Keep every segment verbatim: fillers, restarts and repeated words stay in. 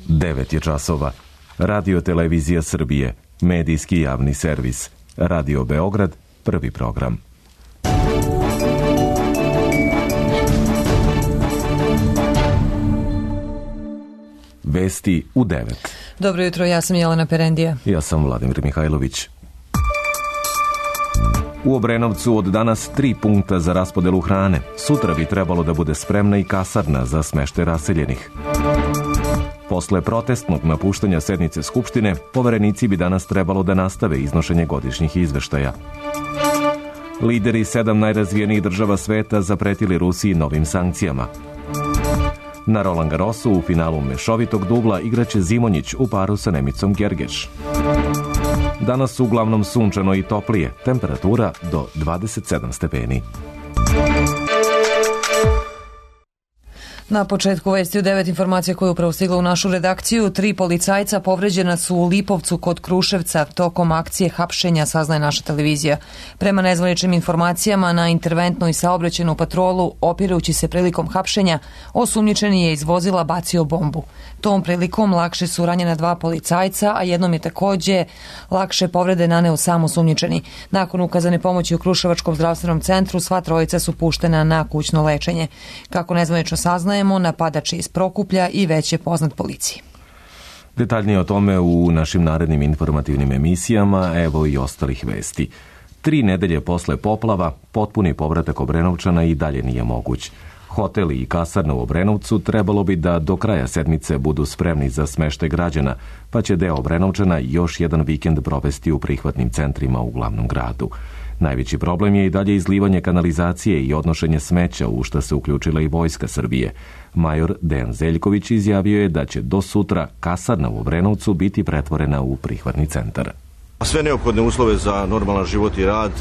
devet je časova. Radio Televizija Srbije, medijski javni servis. Radio Beograd, prvi program. Vesti u devet. Dobro jutro, ja sam Jelena Perendija. Ja sam Vladimir Mihajlović. U Obrenovcu od danas tri punkta za raspodelu hrane. Sutra bi trebalo da bude spremna i kasarna za smeštaj raseljenih. Posle protestnog napuštanja sednice Skupštine, poverenici bi danas trebalo da nastave iznošenje godišnjih izveštaja. Lideri sedam najrazvijenijih država sveta zapretili Rusiji novim sankcijama. Na Roland Garrosu u finalu mešovitog dubla igraće Zimonjić u paru sa Nemicom Gergeš. Danas uglavnom sunčano i toplije, temperatura do dvadeset sedam stepeni. Na početku vesti u devet informacija koje je upravo stigla u našu redakciju. Tri policajca povređena su u Lipovcu kod Kruševca tokom akcije hapšenja, saznaje naša televizija. Prema nezvaničnim informacijama, na interventnu i saobraćajnu patrolu, opirujući se prilikom hapšenja, osumnjičeni je iz vozila bacio bombu. Tom prilikom lakše su ranjena dva policajca, a jednom je takođe lakše povrede naneo sam osumnjičeni. Nakon ukazane pomoći u Kruševačkom zdravstvenom centru, sva trojica su puštena na kućno lečenje. Kako nezvanično saznaje, napadač iz Prokuplja i već je poznat policiji. Detaljnije o tome u našim narednim informativnim emisijama, evo i ostalih vesti. Tri nedelje posle poplava, potpuni povratak Obrenovčana i dalje nije moguć. Hoteli i kasarna u Obrenovcu trebalo bi da do kraja sedmice budu spremni za smeštaj građana, pa će deo Obrenovčana još jedan vikend provesti u prihvatnim centrima u glavnom gradu. Najveći problem je i dalje izlivanje kanalizacije i odnošenje smeća, u šta se uključila i Vojska Srbije. Major Dejan Zeljković izjavio je da će do sutra kasarna u Obrenovcu biti pretvorena u prihvatni centar. Sve neophodne uslove za normalan život i rad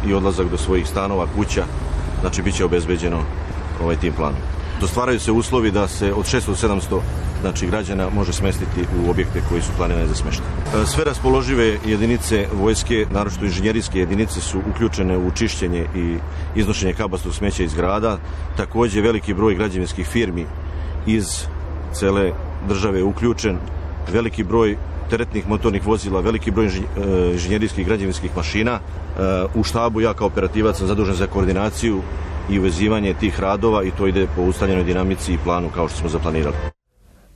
i odlazak do svojih stanova, kuća, znači bit će obezbeđeno ovaj tim planom. Dostvaraju se uslovi da se od šesto do sedamsto znači, građana može smestiti u objekte koji su planirani za smeštaj. Sve raspoložive jedinice vojske, naročito inženjerijske jedinice, su uključene u čišćenje i iznošenje kabastog smeća iz grada. Takođe, veliki broj građevinskih firmi iz cele države je uključen, veliki broj teretnih motornih vozila, veliki broj inženjerijskih i građevinskih mašina. U štabu ja kao operativac sam zadužen za koordinaciju i uvezivanje tih radova i to ide po ustaljenoj dinamici i planu kao što smo zaplanirali.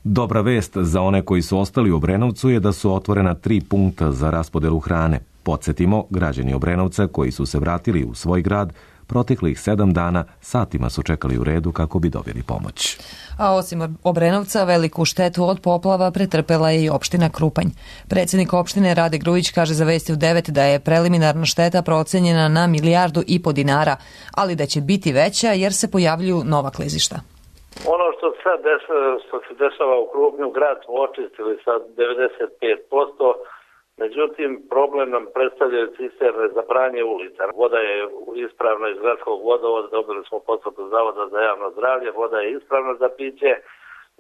Dobra vest za one koji su ostali u Obrenovcu je da su otvorena tri punkta za raspodelu hrane. Podsjetimo, građani Obrenovca koji su se vratili u svoj grad proteklih sedam dana satima su čekali u redu kako bi dobili pomoć. A osim Obrenovca, veliku štetu od poplava pretrpela je i opština Krupanj. Predsjednik opštine Rade Grujić kaže za Vesti u devet da je preliminarna šteta procenjena na milijardu i po dinara, ali da će biti veća jer se pojavljuju nova klizišta. Ono što sad desa, što se dešava u Krupnju, grad smo očistili sa devedeset pet posto. Međutim, problem nam predstavljaju cisterne za pranje ulica. Voda je ispravna iz gradskog vodovoda, dobili smo potvrdu Zavoda za javno zdravlje, voda je ispravna za piće.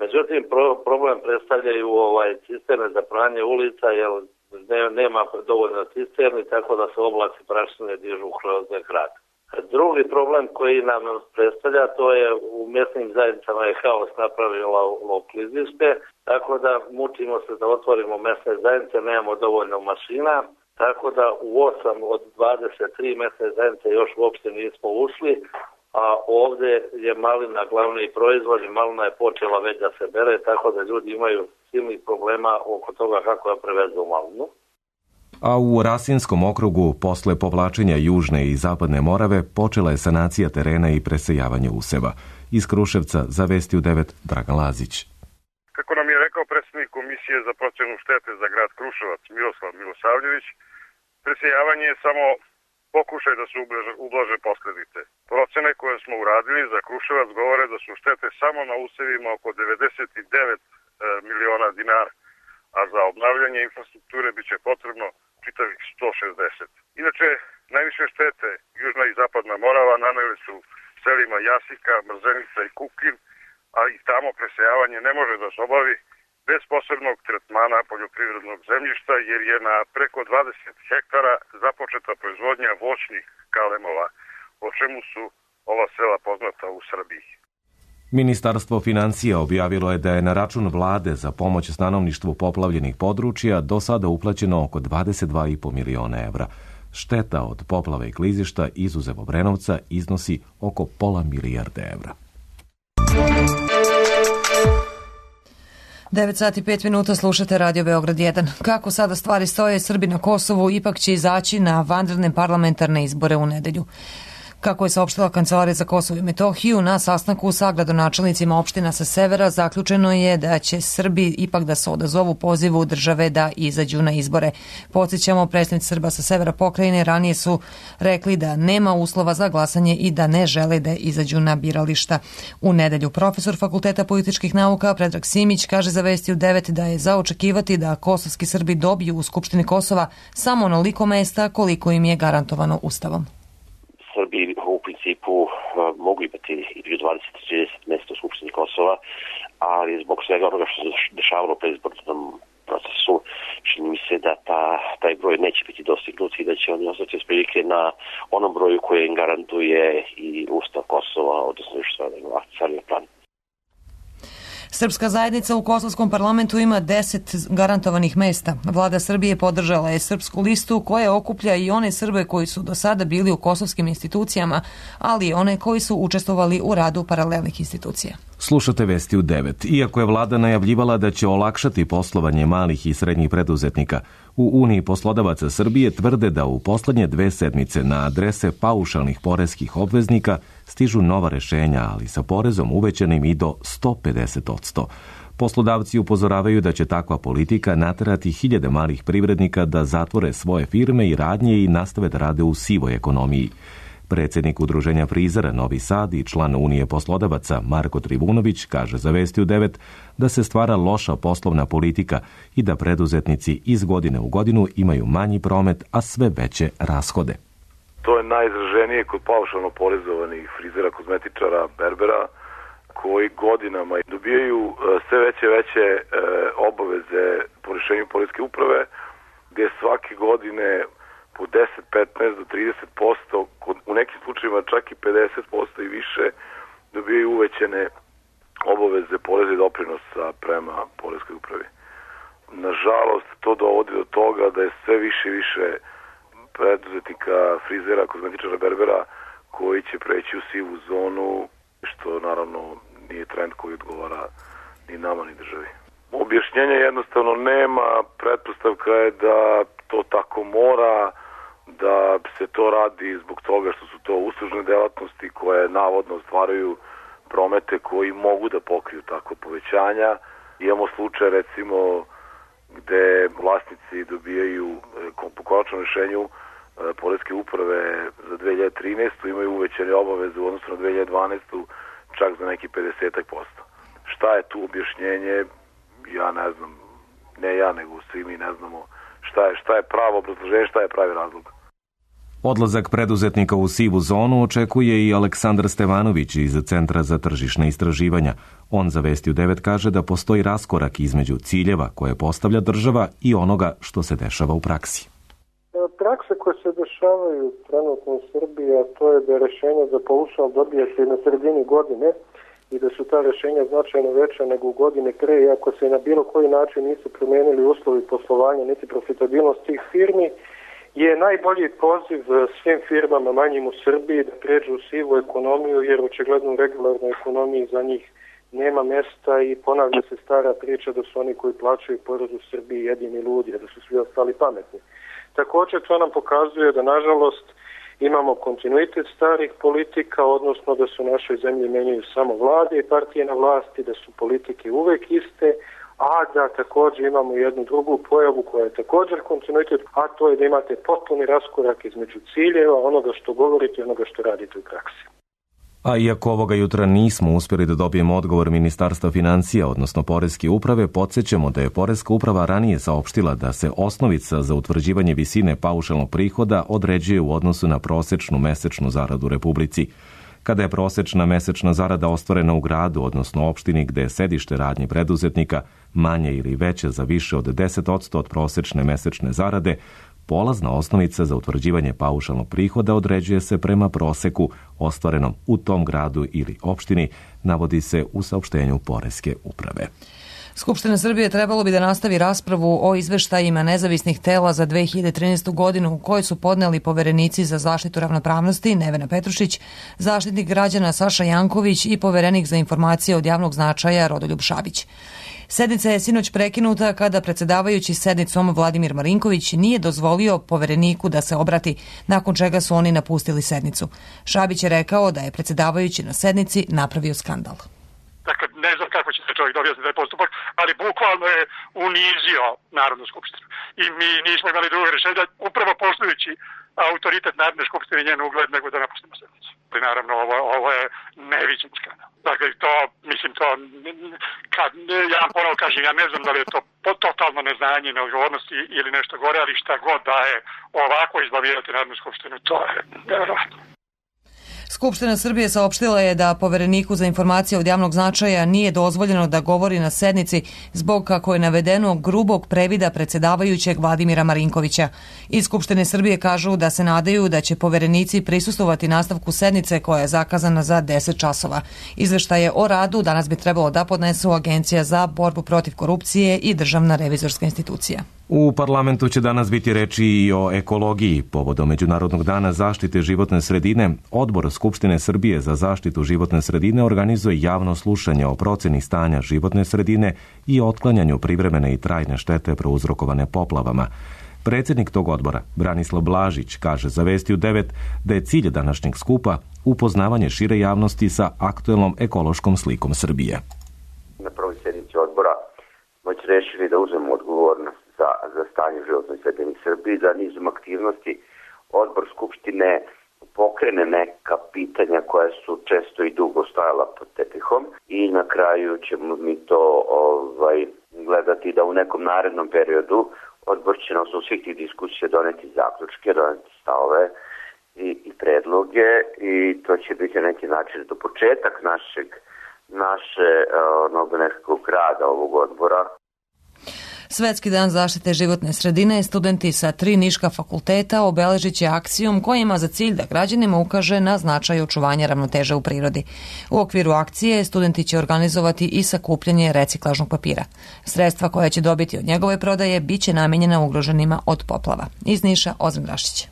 Međutim, pro, problem predstavljaju ovaj cisterne za pranje ulica, jer ne, nema dovoljno cisterni, tako da se oblaci prašine dižu kroz grad. Drugi problem koji nam predstavlja, to je u mjesnim zajednicama je haos napravilo klizište, tako da mučimo se da otvorimo mjesne zajednice, nemamo dovoljno mašina, tako da u osam od dvadeset tri mjesne zajednice još uopšte nismo ušli, a ovdje je malina glavni proizvod i malina je počela već da se bere, tako da ljudi imaju silnih problema oko toga kako da prevezu malinu. A u Rasinskom okrugu, posle povlačenja Južne i Zapadne Morave, počela je sanacija terena i presejavanje useva. Iz Kruševca za Vesti u devet Dragan Lazić. Kako nam je rekao predsjednik Komisije za procenu štete za grad Kruševac Miroslav Milosavljević, presejavanje je samo pokušaj da se ublaže posljedice. Procene koje smo uradili za Kruševac govore da su štete samo na usevima oko devedeset devet miliona dinara, a za obnavljanje infrastrukture biće potrebno čitavih sto šezdeset. Inače, najviše štete Južna i Zapadna Morava naneli su selima Jasika, Mrzenica i Kukin, a i tamo presejavanje ne može da se obavi bez posebnog tretmana poljoprivrednog zemljišta, jer je na preko dvadeset hektara započeta proizvodnja voćnih kalemova, o čemu su ova sela poznata u Srbiji. Ministarstvo financija objavilo je da je na račun vlade za pomoć stanovništvu poplavljenih područja do sada uplaćeno oko dvadeset dva i po miliona evra. Šteta od poplave i klizišta izuzev Obrenovca iznosi oko pola milijarde evra. devet sati i pet minuta slušate Radio Beograd jedan. Kako sada stvari stoje, Srbi na Kosovu ipak će izaći na vanredne parlamentarne izbore u nedelju. Kako je saopštila Kancelarija za Kosovo i Metohiju, na sastanku sa gradonačelnicima opština sa severa zaključeno je da će Srbi ipak da se odazovu pozivu države da izađu na izbore. Podsjećamo, predstavnici Srba sa severa pokrajine ranije su rekli da nema uslova za glasanje i da ne žele da izađu na birališta u nedelju. Profesor Fakulteta političkih nauka Predrag Simić kaže za Vesti u devet da je za očekivati da kosovski Srbi dobiju u Skupštini Kosova samo onoliko mesta koliko im je garantovano Ustavom. Srbi u principu mogu imati između dvadeset do trideset mesta u Skupštini Kosova, ali zbog svega onoga što se dešavalo u predizbornom procesu, čini mi se da ta, taj broj neće biti dostignut i da će oni ostati otprilike na onom broju koji im garantuje i Ustav Kosova, odnosno što je akcijalni plan. Srpska zajednica u kosovskom parlamentu ima deset garantovanih mesta. Vlada Srbije podržala je srpsku listu koja okuplja i one Srbe koji su do sada bili u kosovskim institucijama, ali i one koji su učestvovali u radu paralelnih institucija. Slušate Vesti u devet. Iako je vlada najavljivala da će olakšati poslovanje malih i srednjih preduzetnika, u Uniji poslodavaca Srbije tvrde da u poslednje dve sedmice na adrese paušalnih poreskih obveznika stižu nova rešenja, ali sa porezom uvećanim i do sto pedeset posto. Poslodavci upozoravaju da će takva politika naterati hiljade malih privrednika da zatvore svoje firme i radnje i nastave da rade u sivoj ekonomiji. Predsjednik Udruženja frizera Novi Sad i član Unije poslodavaca Marko Trivunović kaže za Vesti u devet da se stvara loša poslovna politika i da preduzetnici iz godine u godinu imaju manji promet, a sve veće rashode. To je najizraženije kod paušalno porezovanih frizera, kozmetičara, berbera, koji godinama dobijaju sve veće veće obaveze po rješenju poreske uprave, gdje svake godine po deset, petnaest do trideset posto, u nekim slučajevima čak i pedeset posto i više, dobijaju uvećene obaveze poreza i doprinosa prema poreskoj upravi. Nažalost, to dovodi do toga da je sve više i više preduzetnika, frizera, kozmetičara, berbera koji će preći u sivu zonu, što naravno nije trend koji odgovara ni nama ni državi. Objašnjenja jednostavno nema, pretpostavka je da to tako mora, da se to radi zbog toga što su to uslužne delatnosti koje navodno ostvaruju promete koji mogu da pokriju takvo povećanja. Imamo slučaj recimo gde vlasnici dobijaju po konačnom rešenju poreske uprave za dve hiljade trinaestu imaju uvećane obaveze u odnosu na dve hiljade dvanaestu čak za neki pedeset posto. Šta je tu objašnjenje? Ja ne znam, ne ja nego svi mi ne znamo šta je, šta je pravo obrazloženje, šta je pravi razlog. Odlazak preduzetnika u sivu zonu očekuje i Aleksandar Stevanović iz Centra za tržišna istraživanja. On za Vesti u devet kaže da postoji raskorak između ciljeva koje postavlja država i onoga što se dešava u praksi. Prakse koje se dešavaju trenutno u Srbiji, a to je da rešenje za paušal dobijete na sredini godine i da su ta rešenja značajno veća nego u godine pre, iako se na bilo koji način nisu promenili uslovi poslovanja niti profitabilnost tih firmi, je najbolji poziv svim firmama manjim u Srbiji da pređu u sivu ekonomiju, jer očigledno u regularnoj ekonomiji za njih nema mesta i ponavlja se stara priča da su oni koji plaćaju porez u Srbiji jedini ludi, da su svi ostali pametni. Također to nam pokazuje da nažalost imamo kontinuitet starih politika, odnosno da se u našoj zemlji menjaju samo vlade i partije na vlasti, da su politike uvek iste, a da također imamo jednu drugu pojavu koja je također kontinuitet, a to je da imate potpuni raskorak između ciljeva, onoga što govorite i onoga što radite u praksi. A iako ovoga jutra nismo uspjeli da dobijemo odgovor Ministarstva financija, odnosno Poreske uprave, podsjećamo da je Poreska uprava ranije saopštila da se osnovica za utvrđivanje visine paušalnog prihoda određuje u odnosu na prosečnu mesečnu zaradu u Republici. Kada je prosečna mesečna zarada ostvarena u gradu, odnosno opštini gde je sedište radnje preduzetnika, manje ili veće za više od deset posto od prosečne mesečne zarade, Polazna osnovica za utvrđivanje paušalnog prihoda određuje se prema proseku ostvarenom u tom gradu ili opštini, navodi se u saopštenju Poreske uprave. Skupština Srbije trebalo bi da nastavi raspravu o izveštajima nezavisnih tela za dve hiljade trinaestu. godinu koje su podneli poverenici za zaštitu ravnopravnosti Nevena Petrušić, zaštitnik građana Saša Janković i poverenik za informacije od javnog značaja Rodoljub Šabić. Sednica je sinoć prekinuta kada predsedavajući sednicom Vladimir Marinković nije dozvolio povereniku da se obrati, nakon čega su oni napustili sednicu. Šabić je rekao da je predsedavajući na sednici napravio skandal. Dakle, ne znam kako će se čovjek objasniti taj postupak, ali bukvalno je unizio Narodnu skupštinu. I mi nismo imali drugo rješenje, upravo poštujući autoritet Narodne skupštine i njen ugled, nego da napustimo sednicu. Ali naravno, ovo, ovo je neviđen skandal. Dakle, to, mislim, to, kad, ja vam ponovo kažem, ja ne znam da li je to totalno neznanje, neodgovornosti ili nešto gore, ali šta god da je ovako izbavljati Narodnu skupštinu, to je nevjerojatno. Skupština Srbije saopštila je da povereniku za informacije od javnog značaja nije dozvoljeno da govori na sednici zbog, kako je navedeno, grubog previda predsedavajućeg Vladimira Marinkovića. Iz Skupštine Srbije kažu da se nadaju da će poverenici prisustvovati nastavku sednice koja je zakazana za deset časova. Izveštaje o radu danas bi trebalo da podnesu Agencija za borbu protiv korupcije i Državna revizorska institucija. U parlamentu će danas biti reči i o ekologiji. Povodom Međunarodnog dana zaštite životne sredine, Odbor Skupštine Srbije za zaštitu životne sredine organizuje javno slušanje o proceni stanja životne sredine i otklanjanju privremene i trajne štete prouzrokovane poplavama. Predsjednik tog odbora, Branislav Blažić, kaže za Vesti u devet da je cilj današnjeg skupa upoznavanje šire javnosti sa aktuelnom ekološkom slikom Srbije. Na prvoj sjednici odbora smo rešili da uzmemo odgovornost za, za stanje životnoj sredini Srbiji, da nizom aktivnosti odbor Skupštine pokrene neka pitanja koja su često i dugo stajala pod tepihom i na kraju ćemo mi to ovaj, gledati da u nekom narednom periodu odbor će na osnovu svih tih diskusija doneti zaključke, doneti stavove i, i predloge i to će biti na neki način do početak našeg, naše onog nekakvog rada ovog odbora. Svetski dan zaštite životne sredine studenti sa tri niška fakulteta obeležit će akcijom koja ima za cilj da građanima ukaže na značaj očuvanja ravnoteže u prirodi. U okviru akcije studenti će organizovati i sakupljanje reciklažnog papira. Sredstva koja će dobiti od njegove prodaje biće namenjena ugroženima od poplava. Iz Niša, Ozren Rašić.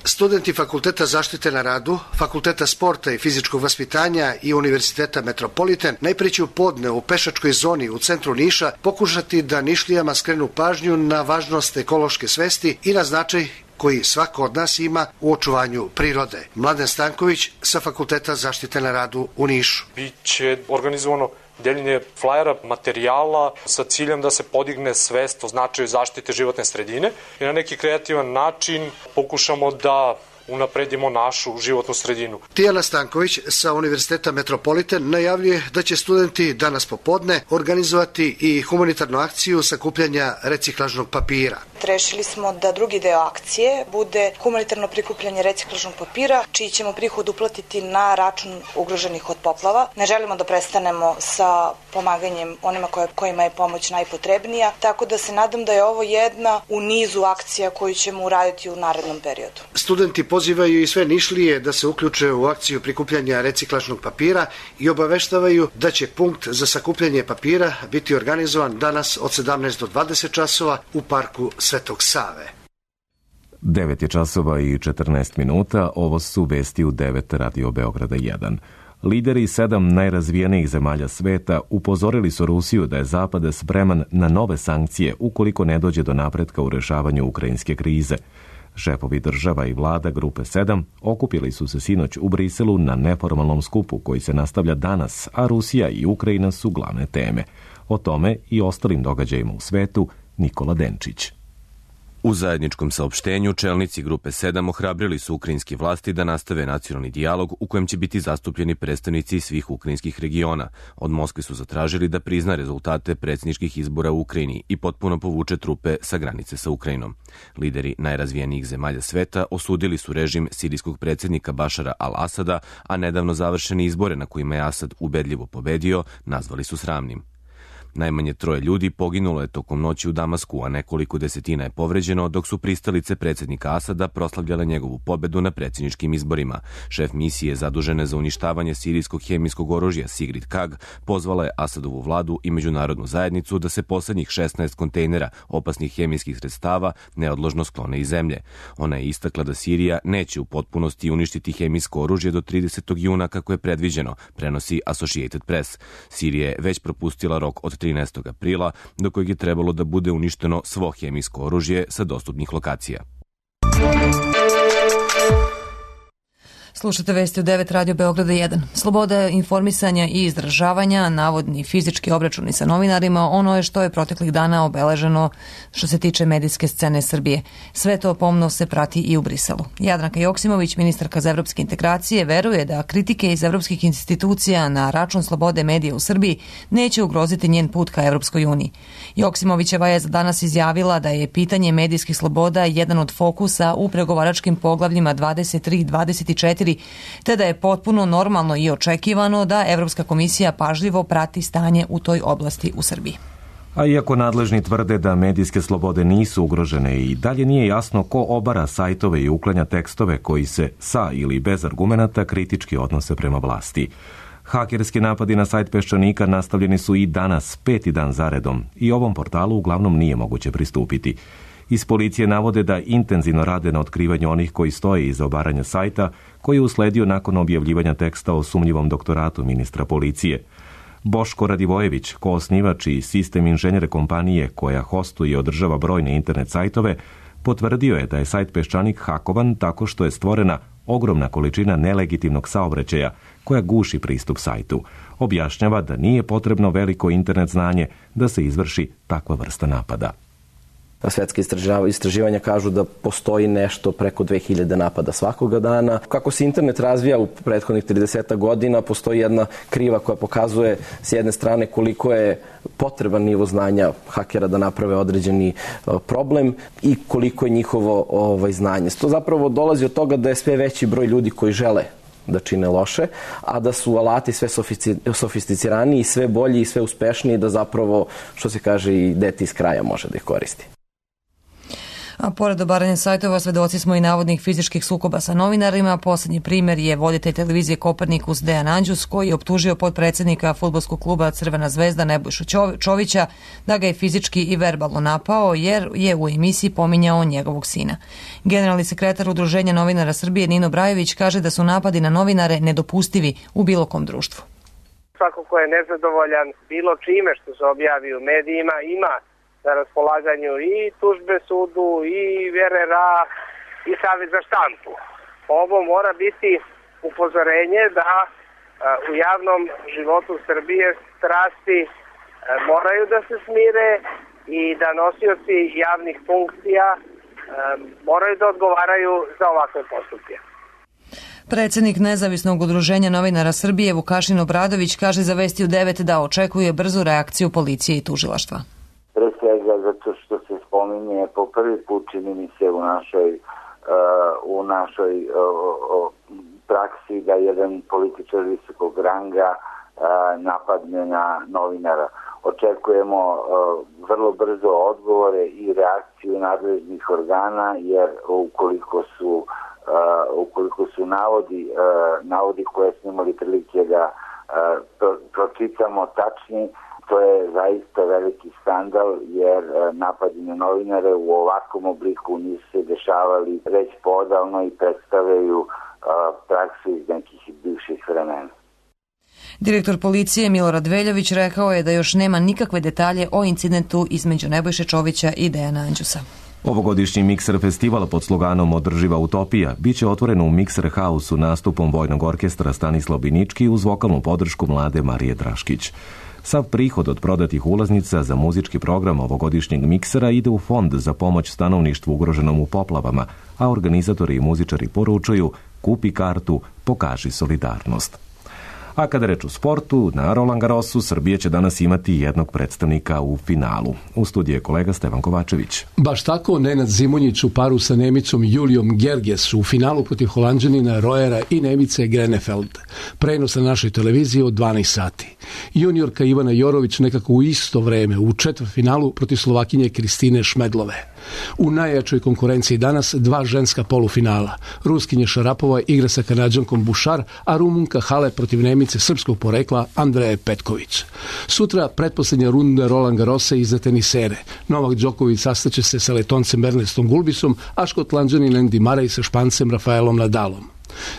Studenti Fakulteta zaštite na radu, Fakulteta sporta i fizičkog vaspitanja i Univerziteta Metropolitan najprije će u podne u pešačkoj zoni u centru Niša pokušati da Nišlijama skrenu pažnju na važnost ekološke svesti i na značaj koji svako od nas ima u očuvanju prirode. Mladen Stanković sa Fakulteta zaštite na radu u Nišu. Biće organizovano deljenje flajera, materijala sa ciljem da se podigne svest o značaju zaštite životne sredine i na neki kreativan način pokušamo da unapredimo našu životnu sredinu. Tijana Stanković sa Univerziteta Metropolitan najavljuje da će studenti danas popodne organizovati i humanitarnu akciju sakupljanja reciklažnog papira. Rešili smo da drugi deo akcije bude humanitarno prikupljanje reciklažnog papira, čiji ćemo prihod uplatiti na račun ugroženih od poplava. Ne želimo da prestanemo sa pomaganjem onima kojima je pomoć najpotrebnija, tako da se nadam da je ovo jedna u nizu akcija koju ćemo uraditi u narednom periodu. Studenti pozivaju i sve Nišlije da se uključe u akciju prikupljanja reciklažnog papira i obaveštavaju da će punkt za sakupljanje papira biti organizovan danas od sedamnaest do dvadeset časova u parku Svetog Save. devet je časova i četrnaest minuta, ovo su Vesti u devet Radio Beograda jedan. Lideri sedam najrazvijenijih zemalja sveta upozorili su Rusiju da je Zapad spreman na nove sankcije ukoliko ne dođe do napretka u rešavanju ukrajinske krize. Šefovi država i vlada Grupe sedam okupili su se sinoć u Briselu na neformalnom skupu koji se nastavlja danas, a Rusija i Ukrajina su glavne teme. O tome i ostalim događajima u svetu Nikola Denčić. U zajedničkom saopštenju čelnici Grupe sedam ohrabrili su ukrajinske vlasti da nastave nacionalni dijalog u kojem će biti zastupljeni predstavnici svih ukrajinskih regiona. Od Moskve su zatražili da prizna rezultate predsjedničkih izbora u Ukrajini i potpuno povuče trupe sa granice sa Ukrajinom. Lideri najrazvijenijih zemalja sveta osudili su režim sirijskog predsjednika Bašara al-Asada, a nedavno završene izbore na kojima je Asad ubedljivo pobedio nazvali su sramnim. Najmanje troje ljudi poginulo je tokom noći u Damasku, a nekoliko desetina je povređeno, dok su pristalice predsjednika Asada proslavljale njegovu pobedu na predsjedničkim izborima. Šef misije zadužene za uništavanje sirijskog hemijskog oružja Sigrid Kaag pozvala je Asadovu vladu i međunarodnu zajednicu da se poslednjih šesnaest kontejnera opasnih hemijskih sredstava neodložno sklone iz zemlje. Ona je istakla da Sirija neće u potpunosti uništiti hemijsko oružje do tridesetog juna kako je predviđeno, prenosi Associated Press. Sirija je već propustila rok od trinaestog aprila, do kojeg je trebalo da bude uništeno svo hemijsko oružje sa dostupnih lokacija. Slušate vesti u devet Radio Beograda jedan. Sloboda informisanja i izražavanja, navodni fizički obračuni sa novinarima, ono je što je proteklih dana obeleženo što se tiče medijske scene Srbije. Sve to pomno se prati i u Briselu. Jadranka Joksimović, ministarka za evropske integracije, veruje da kritike iz evropskih institucija na račun slobode medija u Srbiji neće ugroziti njen put ka Evropskoj uniji. Joksimovićeva je za danas izjavila da je pitanje medijskih sloboda jedan od fokusa u pregovaračkim poglavljima dvadeset tri i dvadeset četiri, te da je potpuno normalno i očekivano da Evropska komisija pažljivo prati stanje u toj oblasti u Srbiji. A iako nadležni tvrde da medijske slobode nisu ugrožene i dalje nije jasno ko obara sajtove i uklanja tekstove koji se sa ili bez argumenata kritički odnose prema vlasti. Hakerski napadi na sajt Peščanika nastavljeni su i danas, peti dan zaredom, i ovom portalu uglavnom nije moguće pristupiti. Iz policije navode da intenzivno rade na otkrivanju onih koji stoje iza obaranja sajta, koji je usledio nakon objavljivanja teksta o sumnjivom doktoratu ministra policije. Boško Radivojević, koosnivač i sistem inženjere kompanije koja hostuje i održava brojne internet sajtove, potvrdio je da je sajt Peščanik hakovan tako što je stvorena ogromna količina nelegitimnog saobraćaja koja guši pristup sajtu. Objašnjava da nije potrebno veliko internet znanje da se izvrši takva vrsta napada. Svetske istraživanja kažu da postoji nešto preko dve hiljade napada svakoga dana. Kako se internet razvija u prethodnih trideset godina, postoji jedna kriva koja pokazuje s jedne strane koliko je potreban nivo znanja hakera da naprave određeni problem i koliko je njihovo ovaj, znanje. To zapravo dolazi od toga da je sve veći broj ljudi koji žele da čine loše, a da su alati sve sofisticiraniji, sve bolji i sve uspešniji, da zapravo, što se kaže, i dete iz kraja može da ih koristi. A pored obaranja sajtova, svedoci smo i navodnih fizičkih sukoba sa novinarima. Poslednji primer je voditelj televizije Kopernikus Dejan Anđus, koji je optužio potpredsednika fudbalskog kluba Crvena zvezda Nebojšu Čovića da ga je fizički i verbalno napao, jer je u emisiji pominjao njegovog sina. Generalni sekretar Udruženja novinara Srbije Nino Brajović kaže da su napadi na novinare nedopustivi u bilo kom društvu. Svako ko je nezadovoljan bilo čime što se objavi u medijima ima na raspolaganju i tužbe sudu, i V R R A, i Savez za štampu. Ovo mora biti upozorenje da u javnom životu Srbije strasti moraju da se smire i da nosioci javnih funkcija moraju da odgovaraju za ovakve postupke. Predsednik Nezavisnog udruženja novinara Srbije Vukašin Obradović kaže za Vesti u devet da očekuje brzu reakciju policije i tužilaštva. Pre svega zato što se spominje po prvi put, čini mi se, u našoj, uh, u našoj uh, praksi da jedan političar visokog ranga uh, napadne na novinara. Očekujemo uh, vrlo brzo odgovore i reakciju nadležnih organa, jer ukoliko su, uh, ukoliko su navodi, uh, navodi koje smo imali prilike da uh, pro, pročitamo tačni, to je zaista veliki skandal, jer napadi na novinare u ovakvom obliku nisu se dešavali već podavno i predstavljaju praksu iz nekih bivših vremena. Direktor policije Milorad Veljović rekao je da još nema nikakve detalje o incidentu između Nebojše Čovića i Dejana Anđusa. Ovogodišnji Mikser festival pod sloganom Održiva utopija biće otvoren u Mikser Hausu nastupom Vojnog orkestra Stanislav Binički uz vokalnu podršku mlade Marije Draškić. Sav prihod od prodatih ulaznica za muzički program ovogodišnjeg miksera ide u fond za pomoć stanovništvu ugroženom u poplavama, a organizatori i muzičari poručuju: kupi kartu, pokaži solidarnost. A kada reč o sportu, na Roland Garrosu Srbija će danas imati jednog predstavnika u finalu. U studiju je kolega Stevan Kovačević. Baš tako, Nenad Zimonjić u paru sa Nemicom Julijom Gerges u finalu protiv Holanđanina Royera i Nemice Grenefeld. Prenos na našoj televiziji od dvanaest sati. Juniorka Ivana Jorović nekako u isto vreme u četvrtfinalu protiv Slovakinje Kristine Šmedlove. U najjačoj konkurenciji danas dva ženska polufinala. Ruskinja Šarapova igra sa Kanađankom Bušar, a Rumunka Halep protiv Nemice srpskog porekla Andreje Petković. Sutra pretposlednja runda Roland Garrosa i za tenisere. Novak Đoković sastaće se sa Letoncem Ernestom Gulbisom, a Škotlanđanin Andy Murray sa Špancem Rafaelom Nadalom.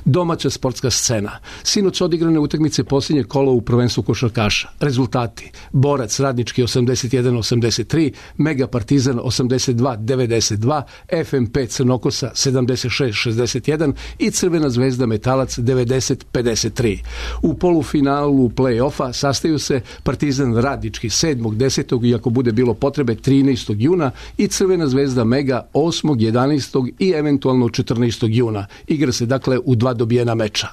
Domaća sportska scena. Sinoć odigrane utakmice posljednje kolo u prvenstvu košarkaša. Rezultati: Borac Radnički osamdeset jedan osamdeset tri, Mega Partizan osamdeset dva devedeset dva, F M P Crnokosa sedamdeset šest šezdeset jedan i Crvena zvezda Metalac devedeset pedeset tri. U polufinalu play-offa sastaju se Partizan Radnički sedmog desetog i ako bude bilo potrebe trinaestog juna i Crvena zvezda Mega osmog jedanaestog i eventualno četrnaestog juna. Igra se dakle u dva dobijena meča.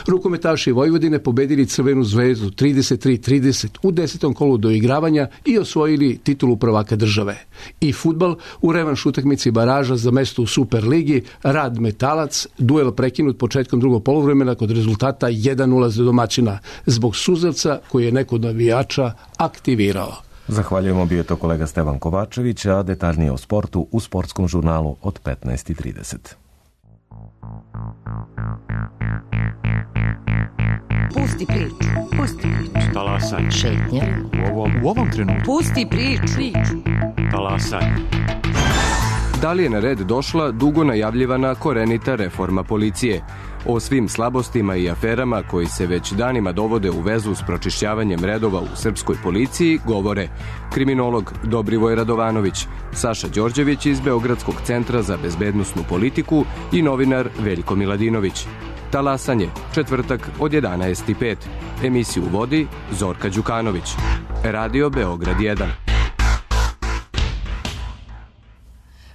Rukometaši Vojvodine pobedili Crvenu zvezdu trideset tri trideset u desetom kolu doigravanja i osvojili titulu prvaka države. I fudbal u revanš utakmici baraža za mesto u Superligi Rad Metalac, duel prekinut početkom drugog poluvremena kod rezultata jedan nula za domaćina zbog suzavca koji je neko od navijača aktivirao. Zahvaljujemo, bio je to kolega Stevan Kovačević, a detaljnije o sportu u sportskom žurnalu od petnaest i trideset. Pusti priču, pusti priču. Talasaj. Šetnja. U ovom, u ovom trenutku. Pusti priču. Talasaj. Da li je na red došla dugo najavljivana korenita reforma policije? O svim slabostima i aferama koji se već danima dovode u vezu s pročišćavanjem redova u srpskoj policiji govore kriminolog Dobrivoj Radovanović, Saša Đorđević iz Beogradskog centra za bezbednosnu politiku i novinar Veljko Miladinović. Talasanje, četvrtak od jedanaest i pet. Emisiju vodi Zorka Đukanović. Radio Beograd jedan.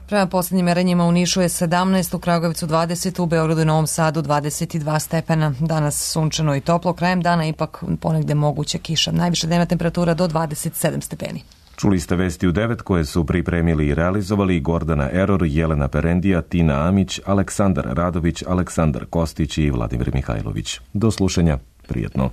Prema posljednjim merenjima u Nišu je sedamnaest, u Kragujevcu dvadeset, u Beogradu i Novom Sadu dvadeset dva stepena. Danas sunčano i toplo, krajem dana ipak ponegde moguća kiša. Najviša dnevna temperatura do dvadeset sedam stepeni. Čuli ste vesti u devet koje su pripremili i realizovali Gordana Eror, Jelena Perendija, Tina Amić, Aleksandar Radović, Aleksandar Kostić i Vladimir Mihajlović. Do slušanja, prijetno.